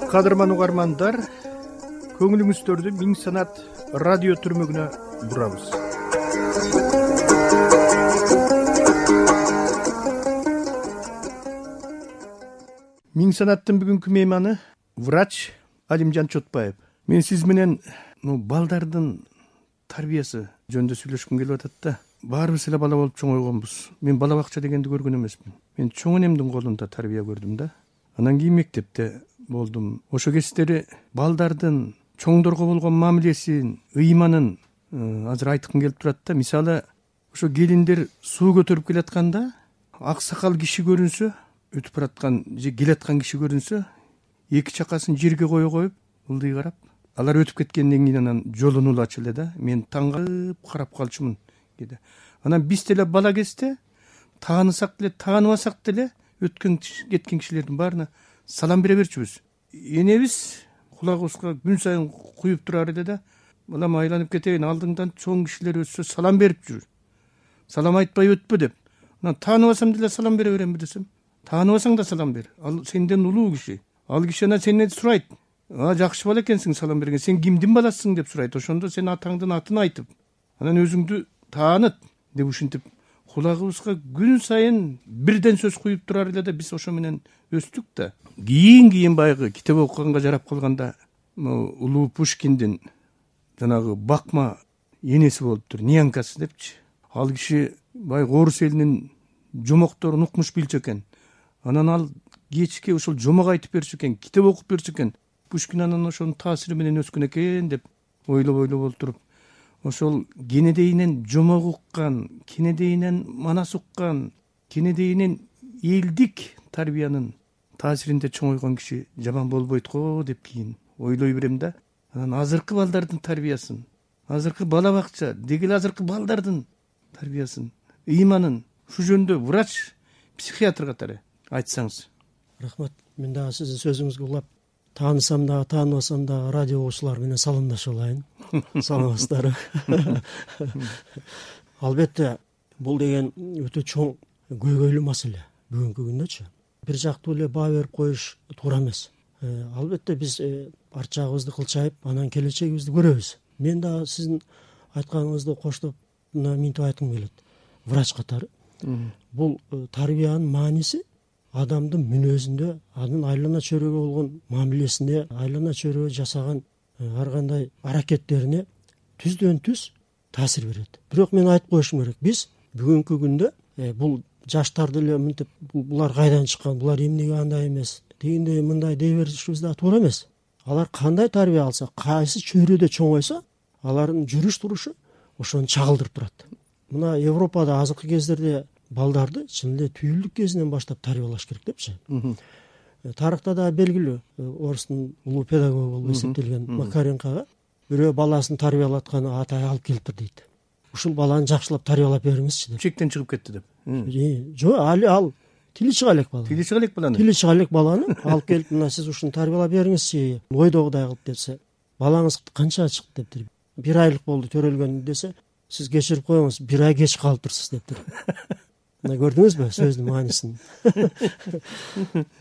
Кадырман угармандар, көңүлүңүздөрдү Миң санат радио түрмөгүнө бурабыз. Миң санаттын бүгүнкү мейманы врач Алимжан Чотбаев. Мен сиз менен балдардын тарбиясы жөнүндө сүйлөшкүм келип атат да. Баарыбыз эле бала болуп чоңойгонбуз. Мен бала бакча дегенди көргөн эмесмин. Мен чоң энемдин колунда тарбия көрдүм да. Анан кийин мектепте болдум. Ошо кездери балдардын чоңдорго болгон мамилесин, ыйманын азыр айткым келип турат да. Мисалы, ошо келиндер суу көтөрүп келатканда, ак сакал киши көрүнсө, өтүп бараткан же келаткан киши көрүнсө, эки чакасын жерге кое коюп, ылдый карап, алар өтүп кеткенден кийин анан жолун улачу эле да. Мен таң калып карап калчумун деди. Анан биз деле бала кезде таанысак деле, тааныбасак деле өткөн кеткен кишилердин баарына салам бере берчүбүз. Энебиз кулагыбызга күн сайын куюп турар эле да. Балам, айланып кетейин, алдыңдан чоң кишилер өтсө салам берип жүр. Салам айтпай өтпө деп. Анан тааныбасам деле салам бере беремби десем, тааныбасаң да салам бер. Ал сенден улуу киши. Ал киши анан сенден сурайт. Жакшы бала экенсиң салам берген. Сен кимдин баласысың деп сурайт. Ошондо сен атаңдын атын айтып, анан өзүңдү тааныт деп ушинтип кулагыбызга күн сайын бирден сөз куюп турар эле да. Биз ошо менен өстүк да. Кийин баягы китеп окуганга жарап калганда улуу Пушкиндин жанагы бакма энеси болуптур, нянькасы депчи. Ал киши баягы орус элинин жомокторун укмуш билчү экен. Анан ал кечке ушул жомок айтып берчү экен, китеп окуп берчү экен. Пушкин анан ошонун таасири менен өскөн экен деп ойлоп отуруп, ошол кенедейинен жомок уккан, кенедейинен манас уккан, кенедейинен элдик тарбиянын таасиринде чоңойгон киши жаман болбойт го деп кийин ойлой берем да. Анан азыркы балдардын тарбиясын, азыркы бала бакча, дегил азыркы балдардын тарбиясын, ыйманын ушу жөнүндө врач, психиатр катары айтсаңыз. Рахмат. Мен дагы сиздин сөзүңүзгө улап, таанысам дагы, тааныбасам дагы радио окуучулар менен саламдашып алайын. Саламатсыздарбы? Албетте, бул деген өтө чоң, көйгөйлүү маселе бүгүнкү күндөчү. Бир жактуу эле баа берип коюш туура эмес. Албетте биз арт жагыбызды кылчайып, анан келечегибизди көрөбүз. Мен дагы сиздин айтканыңызды коштоп минтип айткым келет. Врач катары. Бул тарбиянын мааниси адамдын мүнөзүндө, анын айлана чөйрөгө болгон мамилесинде, айлана чөйрөгө жасаган ар кандай аракеттерине түздөн түз таасир берет. Бирок мен айтып коюшум керек, биз бүгүнкү күндө бул жаштарды эле мынтип булар кайдан чыккан, булар эмнеге андай эмес, дегендей мындай дей беришибиз да туура эмес. Алар кандай тарбия алса, кайсы чөйрөдө чоңойсо, алардын жүрүш турушу ошону чагылдырып турат. Мына Европада азыркы кездерде балдарды чын эле түйүлдүк кезинен баштап тарбиялаш керек депчи. Тарыхта да белгилүү, орустун улуу педагогу болуп эсептелген Макаренкага бирөө баласын тарбиялатканы атай алып келиптир дейт. Ушул баланы жакшылап тарбиялап бериңизчи деп. Чектен чыгып кетти деп. Жок, ал тили чыга элек бала. Тили чыга элек баланы. Тили чыга элек баланы алып келип, мына сиз ушуну тарбиялап бериңизчи, ойдогудай кылып десе, балаңыз канчага чыкты дептир. 1 айлык болду төрөлгөн десе, сиз кечирип коюңуз, 1 ай кеч калыптырсыз дептир. Мына көрдүңүзбү сөздүн маанисин?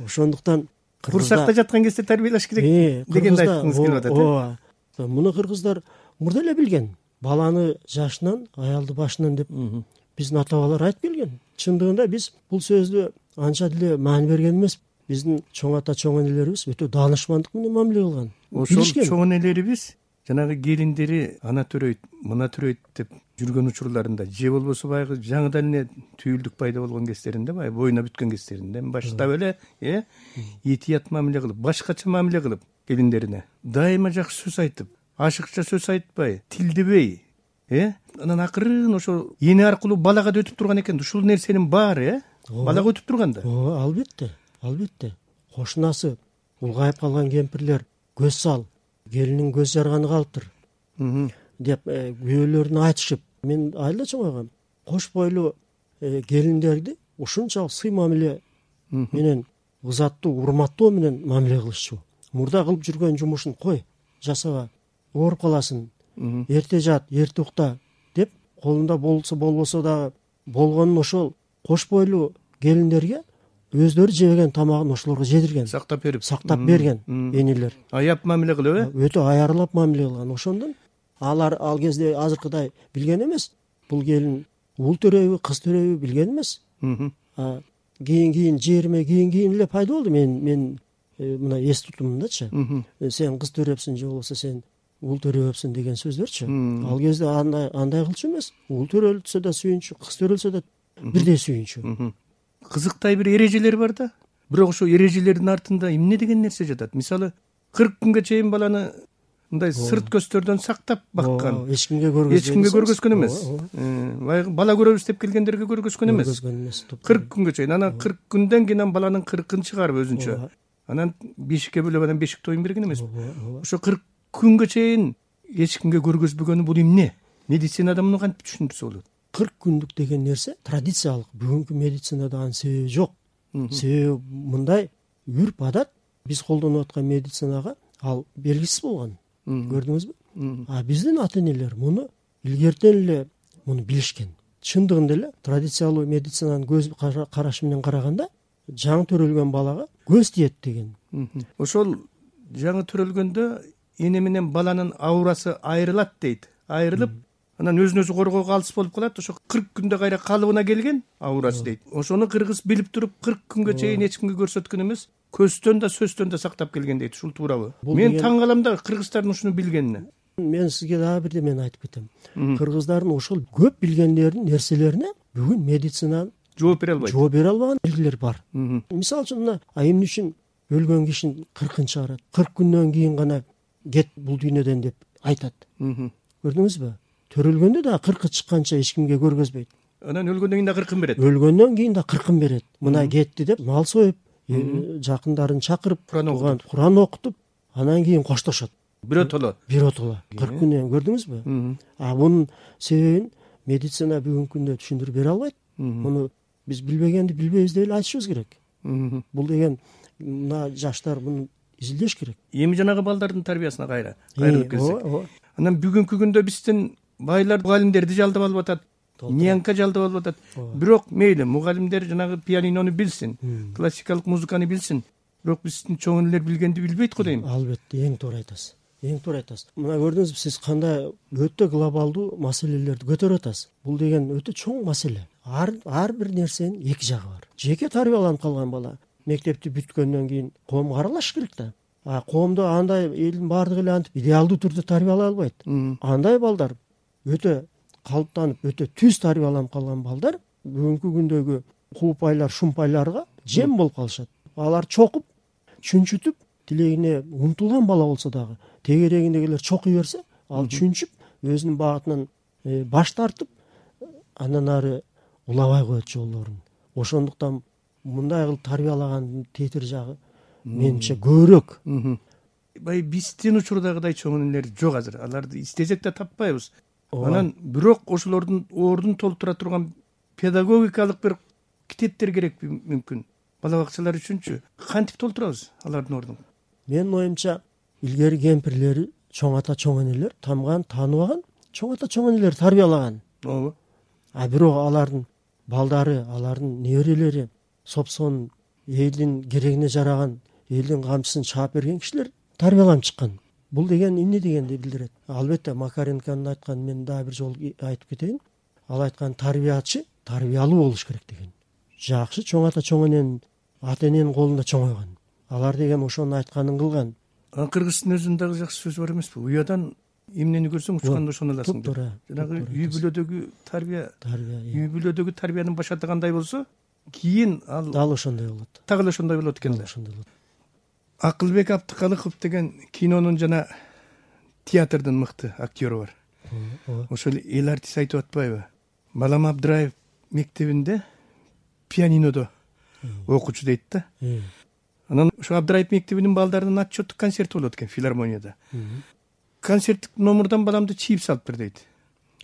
Ошондуктан курсакта жаткан кезде тарбиялаш керек дегенди айткыңыз келип атат. Ооба. Муну кыргыздар мурда эле билген. Баланы жашынан, аялды башынан деп биздин ата-бабалар айтып келген. Чындыгында биз бул сөздү анча деле маани берген эмес. Биздин чоң ата, чоң энелерибиз өтө даанышмандык менен мамиле кылган. Ошол чоң энелерибиз жанагы келиндери ана төрөйт, мына төрөйт деп жүргөн учурларында, же болбосо баягы жаңыдан эле түйүлдүк пайда болгон кездеринде, баягы боюна бүткөн кездеринде баштап эле этият мамиле кылып, башкача мамиле кылып келиндерине дайыма жакшы сөз айтып, ашыкча сөз айтпай, тилдебей, анан акырын ошо эне аркылуу балага да өтүп турган экен. Ушул нерсенин баары балага өтүп турганда. Албетте, албетте. Кошунасы улгайып калган кемпирлер көз сал, келинин көз жарганы калыптыр деп күйөөлөрүнө айтышып, мен айылда чоңойгом. Кош бойлуу келиндерди ушунчалык сый мамиле менен, ызаттуу, урматтоо менен мамиле кылышчу. Мурда кылып жүргөн жумушун кой, жасаба, ооруп каласың, эрте жат, эрте укта деп колунда болсо болбосо дагы болгонун ошол кош бойлуу келиндерге өздөрү жебеген тамагын ошолорго жедирген, сактап берип берген энелер. аяп мамиле кылып, Өтө аярлап мамиле кылган. Ошондон алар ал кезде азыркыдай билген эмес. Бул келин уул төрөйбү, кыз төрөйбү билген эмес. Кийин жериме кийин эле пайда болду. Мен мына эс тутумумдачы. Сен кыз төрөпсүң же болбосо сен уул төрөпсүң деген сөздөрчү. Ал кезде андай кылчу эмес. Уул төрөлсө да сүйүнчү, кыз төрөлсө да бирдей сүйүнчү. Кызыктай бир эрежелер бар да. Бирок ошо эрежелердин артында эмне деген нерсе жатат? Мисалы 40 күнгө чейин баланы мындай сырт көстөрдөн сактап баккан. Эч кимге көргөзгөн эмес. Бала көрөбүз деп келгендерге көргөзгөн эмес. 40 күнгө чейин. Анан 40 күндөн кийин баланын 40-ын чыгарып өзүнчө. Анан бешикке бөлөп анан бешик тоюн берген эмес. Ошо 40 күнгө чейин эч кимге көргөзбөгөнү бул эмне? Медицинада муну кантип түшүндүрсө болот? 40 күндүк деген нерсе традициялык. Бүгүнкү медицинада анын себеби жок. Себеби мындай үрп адат биз колдонуп аткан медицинага ал белгисиз болгон. Көрдүңүзбү? Биздин ата-энелер муну илгертен эле муну билишкен. Чындыгында эле традициялуу медицинанын көз карашы менен караганда жаңы төрөлгөн балага көз тиет деген. Ошол жаңы төрөлгөндө эне менен баланын аурасы айрылат дейт. Айрылып, анан өзүн өзү коргоого алыс болуп калат. Ошо 40 күндө кайра калыбына келген аурасы дейт. Ошону кыргыз билип туруп 40 күнгө чейин эч кимге көрсөткөн эмес. Көздөн да сөздөн да сактап келген дейт. Ушул туурабы? Мен таң калам да кыргыздардын ушуну билгенине. Мен сизге дагы бирдемени айтып кетем. Кыргыздардын ошол көп билгендеринин нерселерине бүгүн медицина жооп бере албаган белгилер бар. Мисалы үчүн мына эмне үчүн өлгөн кишинин 40-ын чыгарат? 40 күндөн кийин гана кет бул дүйнөдөн деп айтат. Көрдүңүзбү? Төрөлгөндө да 40 чыкканча эч кимге көргөзбөйт. Анан өлгөндөн кийин да 40-ын берет. Өлгөндөн кийин да 40-ын берет. Мына кетти деп мал союп, жакындарын чакырып, Куран окутуп, анан кийин коштошот. Биротоло 40 күндөн, көрдүңүзбү? Бунун себебин медицина бүгүнкү күндө түшүндүрүп бере албайт. Муну биз билбегенди билбейбиз деп эле айтышыбыз керек. Бул деген мына жаштар муну изилдеш керек. Эми жанагы балдардын тарбиясына кайрылып келсек. Анан бүгүнкү күндө биздин байлар мугалимдерди жалдап алып атат, нянка жалдап алып атат. Бирок мейли мугалимдер жанагы пианинону билсин, классикалык музыканы билсин. Бирок биздин чоң энелер билгенди билбейт го дейм. Албетте, эң туура айтасыз. Мына көрдүңүзбү, сиз кандай өтө глобалдуу маселелерди көтөрүп атасыз. Бул деген өтө чоң маселе. Ар бир нерсенин эки жагы бар. Жеке тарбияланып калган бала мектепти бүткөндөн кийин коомго аралашыш керек да. Коомдо андай элдин баардыгы эле антип идеалдуу түрдө тарбиялай албайт. Андай балдар өтө калыптанып, өтө түз тарбияланып калган балдар бүгүнкү күндөгү куупайлар, шумпайларга жем болуп калышат. Алар чокуп, чүнчүтүп, тилегине умтулган бала болсо дагы тегерегиндегилер чокуй берсе, ал чүнчүп, өзүнүн багытынан баш тартып, андан ары улабай коет жолдорун. Ошондуктан мындай кылып тарбиялагандын тетир жагы менимче көбүрөөк. Биздин учурдагыдай чоң энелер жок азыр. Аларды издесек да таппайбыз. Анан бирок ошолордун ордун толтура турган педагогикалык бир китептер керекпи мүмкүн? Бала бакчалар үчүнчү кантип толтурабыз алардын ордун? Менин оюмча, илгери кемпирлери, чоң ата, чоң энелер тамган, тааныбаган, чоң ата, чоң энелер тарбиялаган. Ооба. Бирок алардын балдары, алардын неберелери сопсон элдин керегине жараган, элдин камчысын чаап берген кишилер тарбияланып чыккан. Бул деген эмне дегенди билдирет? Албетте Макаренконун айтканын мен дагы бир жолу айтып кетейин. Ал айткан тарбиячы тарбиялуу болуш керек деген. Жакшы чоң ата, чоң эненин ата эненин колунда чоңойгон. Алар деген ошонун айтканын кылган. Кыргыздын өзүндө дагы жакшы сөз бар эмеспи? Уядан эмнени көрсөң учканда ошону аласың. Туура. Жанагы үй бүлөдөгү үй бүлөдөгү тарбиянын башаты кандай болсо, кийин ал дал ошондой болот. Дагы ошондой болот экен да. Акылбек Абдыкалыков деген кинонун жана театрдын мыкты актёру бар. Ошол эл артист айтып атпайбы? Балам Абдыраев мектебинде пианинодо окуучу дейт да. Анан ошо Абдыраев мектебинин балдарынын отчеттук концерти болот экен филармонияда. Концерттик номурдан баламды чийип салып бер дейт.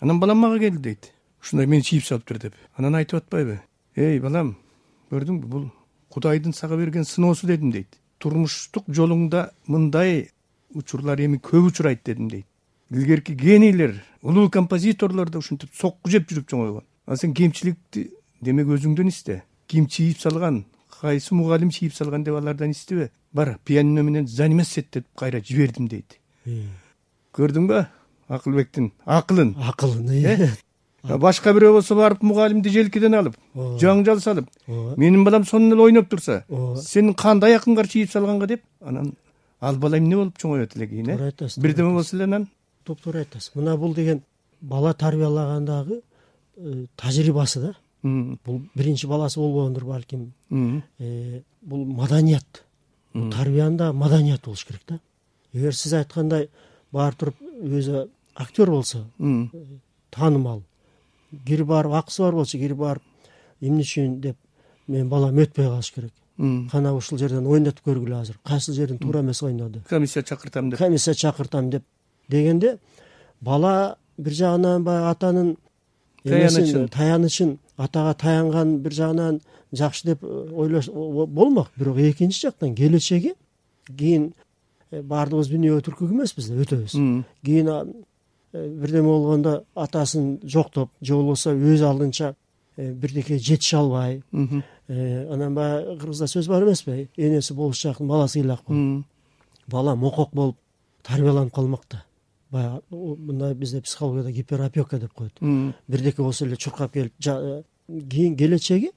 Анан балам мага келди дейт. Ушундай мени чийип салып бер деп. Анан айтып атпайбы? Эй балам, көрдүңбү, бул Кудайдын сага берген сыноосу дедим дейт. Турмуштук жолуңда мындай учурлар эми көп учурайт дедим дейт. Илгерки генийлер, улуу композиторлор да ушинтип сокку жеп жүрүп чоңойгон. Сен кемчиликти демек өзүңдөн исте. Ким чийип салган, кайсы мугалим чийип салган деп алардан истебе. Бар, пианино менен заниматься деп кайра жибердим дейт. Көрдүңбү Акылбектин акылын? Башка бирөө болсо барып мугалимди желкеден алып, жаңжал салып, менин балам сонун эле ойноп турса, сен кандай акыңга чийип салганга деп, анан ал бала эмне болуп чоңоет эле кийин, бирдеме болсо эле анан. Туура айтасыз. Мына бул деген бала тарбиялагандагы тажрыйбасы да. Бул биринчи баласы болбогондур балким. Бул маданият. Тарбиянда маданият болуш керек да. Эгер сиз айткандай барып туруп өзү актер болсо, таанымал, кирип барып акысы бар болсо, кирип барып эмне үчүн деп менин балам өтпөй калыш керек. Кана ушул жерден ойнотуп көргүлө азыр. Кайсы жерин туура эмес ойноду. Комиссия чакыртам деп дегенде бала бир жагынан баягы атанын таянычын, атага таянган бир жагынан жакшы деп ойлош болмок. Бирок экинчи жактан келечеги кийин баардыгыбыз дүйнөгө түркүк эмеспиз да, өтөбүз. Кийин бирдеме болгондо атасын жоктоп, же болбосо өз алдынча бирдеке жетише албай, анан баягы кыргызда сөз бар эмеспи? Энеси болушчактын баласы ыйлак болуп. Бала мокок болуп тарбияланып калмак да. Баягы мындай бизде психологияда гиперопека деп коет. Бирдеке болсо эле чуркап келип, кийин келечеги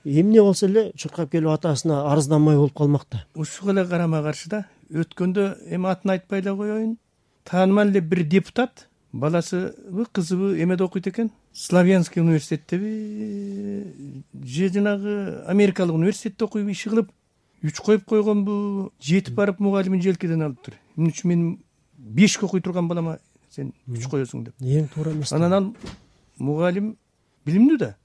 эмне болсо эле чуркап келип атасына арызданмай болуп калмак да. Ушуга эле карама каршы да. Өткөндө эми атын айтпай эле коеюн. Таанымал эле бир депутат баласыбы, кызыбы эмеде окуйт экен? Славянский университеттеби, же жанагы Америкалык университетте окуйбу, иши кылып, 3 коюп койгонбу, жетип барып мугалимин желкеден алыптыр. Эмне үчүн мен 5 окуй турган балама сен 3 коесуң деп. Эң туура эмес. Анан ал мугалим билимдүү да,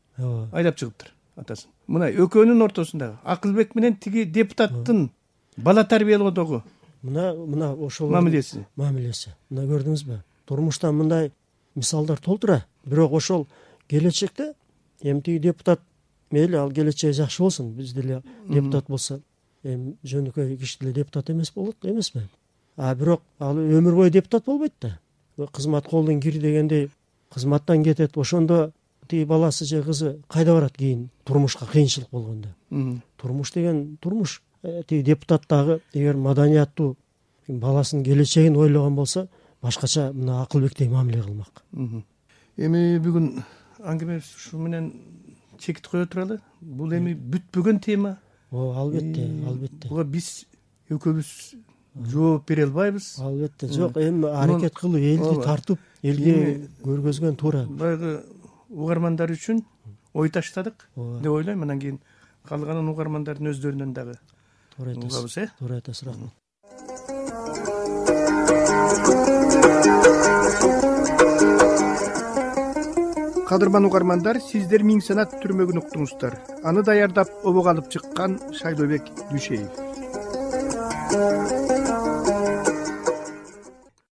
айдап чыгыптыр атасын. Мына экөөнүн ортосундагы Акылбек менен тиги депутаттын бала тарбиялоодогу мына ошол мамилеси. Мына көрдүңүзбү? Турмуштан мындай мисалдар толтура. Бирок ошол келечекте эми тиги депутат мейли ал келечеги жакшы болсун, биз деле депутат болсо, эми жөнөкөй киши деле депутат эмес болот эмеспи? Бирок ал өмүр бою депутат болбойт да. Кызмат колдон кир дегендей кызматтан кетет. Ошондо тиги баласы же кызы кайда барат кийин турмушка кыйынчылык болгондо? Турмуш деген турмуш. Тиги депутат дагы эгер маданияттуу баласынын келечегин ойлогон болсо, башкача мына Акылбектей мамиле кылмак. Эми бүгүн аңгемебиз ушу менен чекит кое туралы. Бул эми бүтпөгөн тема. Албетте. Буга биз экөөбүз жооп бере албайбыз. Албетте. Жок, эми аракет кылып, элди тартып, элге көргөзгөн туура. Баягы угармандар үчүн ой таштадык деп ойлойм. Анан кийин калганын угармандардын өздөрүнөн дагы угабыз. Туура айтасыз, рахмат. Кадырман угармандар, сиздер Миң санат түрмөгүн уктуңуздар. Аны даярдап обого алып чыккан Шайлообек Дүйшеев.